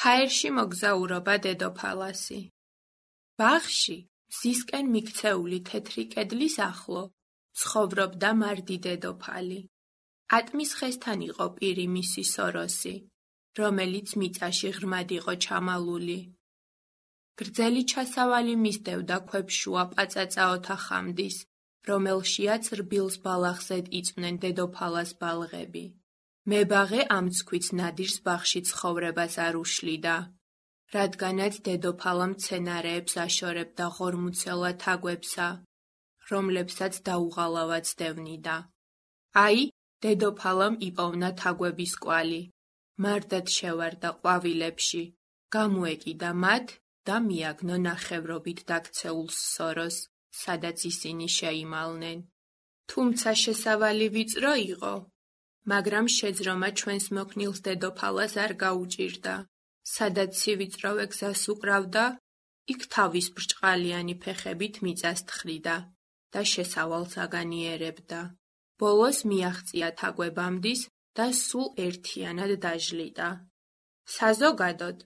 ჰაერში მოგზაურობა დედოფალასი. ბაღში, მზისკენ მიქცეული თეთრი კედლის ახლო, ცხოვრობდა მარდი დედოფალი. ატმის ხესთან იყო პირი მისი სოროსი, რომელიც მიწაში ღრმად იყო ჩამალული. გრძელი ჩასავალი მისდევდა ქვებშუა პაწაწა ოთახამდის, რომელშიაც რბილს ბალახზედ იწვნენ დედოფალას ბალღები. მებაღე ამ ცქვით ნადირს ბაღში ცხოვრებას არ უშლიდა, რადგანაც დედოფალა მცენარეებს აშორებდა ღორმუცელა თაგვებსა, რომლებსაც დაუღალავად დევნიდა. აი, დედოფალამ იპოვნა თაგვების კვალი, მარტად შევარდა ყვავილებში, გამოეკიდა მათ და მიაგნო ნახევრობით დაქცეულ სოროს, სადაც ისინი შეიმალნენ. თუმცა შესავალი ვიწრო იყო, მაგრამ შეძრომა ჩვენს მოქნილს დედოფალას არ გაუჭირდა. სადაც სივიწროვე გზას უკრავდა, იქ თავის ბრჭყალიანი ფეხებით მიწას თხრიდა და შესავალს აგანიერებდა. ბოლოს მიაღწია თაგვებამდის და სულ ერთიანად დაჟლიდა. საზოგადოდ,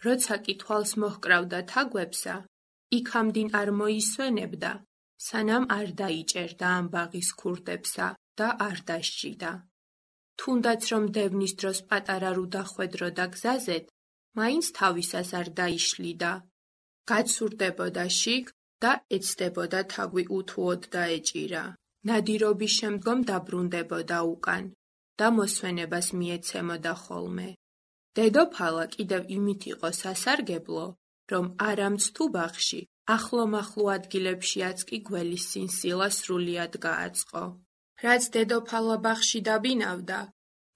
როცა კი თვალს მოჰკრავდა თაგვებსა, იქამდინ არ მოისვენებდა, სანამ არ დაიჭერდა ამ ბაღის ქურდებსა და არ დასჯიდა. თუნდაც რომ დევნის დროს პატარა რუ დახვედროდა გზაზედ, მაინც თავისას არ დაიშლიდა. გაცურდებოდა შიგ და ეცდებოდა თაგვი უთუოდ დაეჭირა. ნადირობის შემდგომ დაბრუნდებოდა უკან და მოსვენებას მიეცემოდა ხოლმე. დედოფალა კიდევ იმით იყო სასარგებლო, რომ არამც თუ ბაღში, ახლომახლო ადგილებშიაც კი გველის სინსილა სრულიად გააწყო. რაც დედოფალა ბაღში დაბინავდა,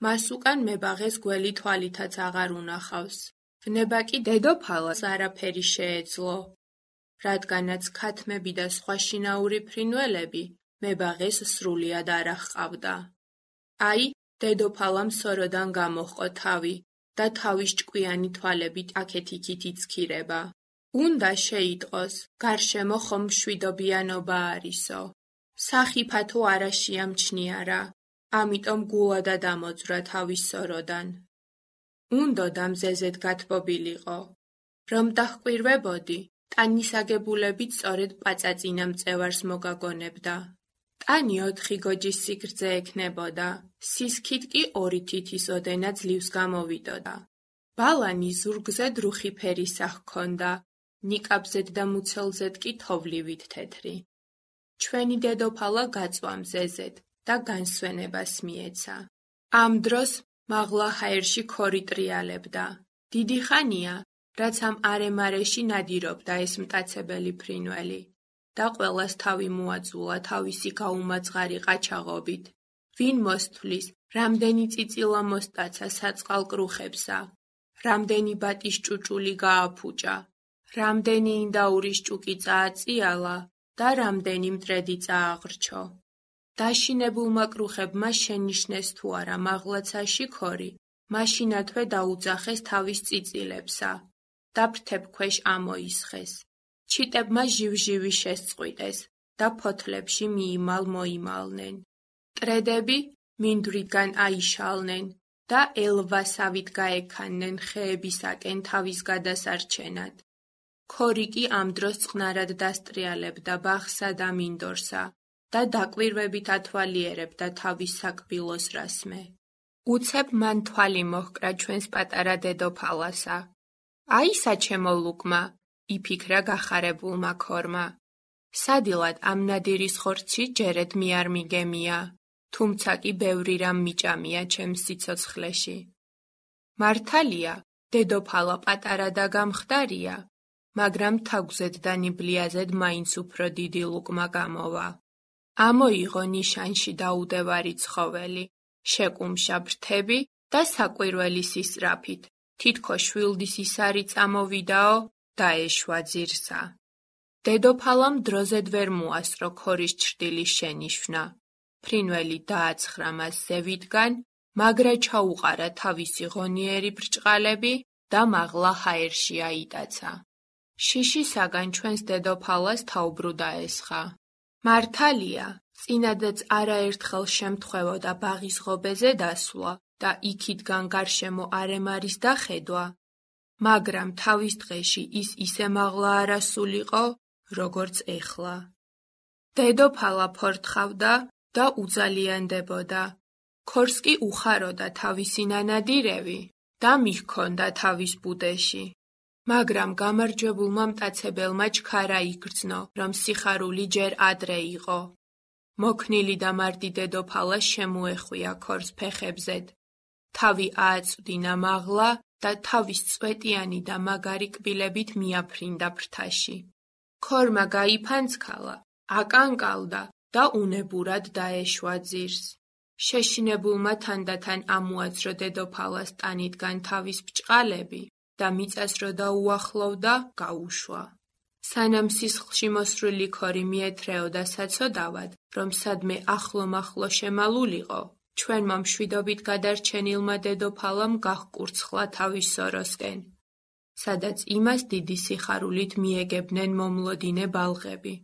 მას უკან მებაღეს გველი თვალითაც აღარ უნახავს. ვნება კი დედოფალას არაფერი შეეძლო, რადგანაც ქათმები და სხვა შინაური ფრინველები მებაღეს სრულიად არ აჰყავდა. აი, დედოფალამ სოროდან გამოჰყო თავი და თავის ჭკვიანი თვალებით აქეთ-იქით იცქირება. უნდა შეიტყოს, გარშემო ხომ მშვიდობიანობა არისო. სახიფათო არა შეამჩნიარა, ამიტომ გულადა დამოძვრა თავის სოროდან. უნდოდა მზეზედ გათბობილიყო, რომ დაჰკვირვებოდი, ტანის აგებულებით სწორედ პაწაწინა მწევარს მოგაგონებდა. ტანი 4 გოჯის სიგრძე ექნებოდა, სისქით კი 2 თითის ოდენა ძლივს გამოვიდოდა. ბალანი ზურგზე რუხი ფერისა ჰქონდა, ნიკაპზედ და მუცელზედ კი თოვლივით თეთრი. ჩვენი დედოფალა გაწვა მზეზედ და განსვენებას მიეცა. ამ დროს მაღლა ჰაერში ქორი ტრიალებდა. დიდი ხანია, რაც ამ არემარეში ნადირობდა ეს მტაცებელი ფრინველი და ყველას თავი მოაწულა თავისი გაუმაწყარი ყაჩაღობით. ვინ მოსთვლის, რამდენი წიწილა მოსტაცა საწყალ კრუხებსა, რამდენი ბატის ჭუჭული გააფუჭა, რამდენი ინდაურის ჭუკი წააწიალა და რამდენი მტრედი წააღრჩო. დაშინებულმა კრუხებმა შენიშნეს თუ არა მაღლაცაში ქორი, მაშინათვე დაუძახეს თავის წიწილებსა და ფრთებქვეშ ამოისხეს. ჩიტებმა ჟივ-ჟივი შესწყვიტეს და ფოთლებში მიიმალ-მოიმალნენ. მტრედები მინდვრიდან აიშალნენ და ელვასავით გაექანნენ ხეებისაკენ თავის გადასარჩენად. ქორი კი ამ დროს წყნარად დასტრიალებდა ბაღსა და მინდორსა და დაკვირვებით ათვალიერებდა თავის საკბილოს რასმე. უცებ მან თვალი მოჰკრა ჩვენს პატარა დედოფალასა. აი საჩემო ლუკმა, იფიქრა გახარებულმა ქორმა. სადილად ამ ნადირის ხორცი ჯერედ მე არ მიგემია, თუმცა კი ბევრი რამ მიჭამია ჩემს სიცოცხლეში. მართალია, დედოფალა პატარა და გამხდარია, მაგრამ თაგვზედ და ნიბლიაზედ მაინც უფრო დიდი ლუკმა გამოვა. ამოიღო ნიშანში დაუდევარი ცხოველი, შეკუმშა ფრთები და საკვირველი სისწრაფით, თითქოს შვილდის ისარი წამოვიდაო და ეშვა ძირსა. დედოფალამ დროზედ ვერ მოასწრო ქორის ჩრდილის შენიშვნა. ფრინველი დააცხრა მას ზევიდან, მაგრა ჩაუყარა თავისი ღონიერი ბრჭყალები და მაღლა ჰაერში აიტაცა. შიშისაგან ჩვენს დედოფალას თაუბრუ დაესხა. მართალია, წინადაც არაერთხელ შემთხვევოდა ბაღის ღობეზე დასვლა და იქითგან გარშემო არემარის დახედვა, მაგრამ თავის დღეში ის ისე მაღლა არ ასულიყო, როგორც ეხლა. დედოფალა ფორთხავდა და უძალიანდებოდა. ქორს კი უხაროდა თავისი ნანადირევი და მიჰქონდა თავის ბუდეში. მაგრამ გამარჯვებულმა მტაცებელმა ჩქარა იგრძნო, რომ სიხარული ჯერ ადრე იყო. მოქნილი და მარდი დედოფალა შემოეხვია ქორს ფეხებზედ. თავი ააწვდინა მაღლა და თავის წვეტიანი და მაგარი კბილებით მიაფრინდა ფრთაში. ქორმა გაიფანცქალა, აკანკალდა და უნებურად დაეშვა ძირს. შეშინებულმა თანდათან ამოაძრო დედოფალას ტანიდან თავის ბრჭყალები და მიწას რო დაუახლოვდა, გაუშვა. სანამ სისხლში მოსრული ქორი მიეთრეოდა საცოდავად, რომ სადმე ახლო-მახლო შემალულიყო, ჩვენმა მშვიდობით გადარჩენილმა დედოფალამ გაჰკურცხლა თავის სოროსკენ, სადაც იმას დიდი სიხარულით მიეგებნენ მომლოდინე ბალღები.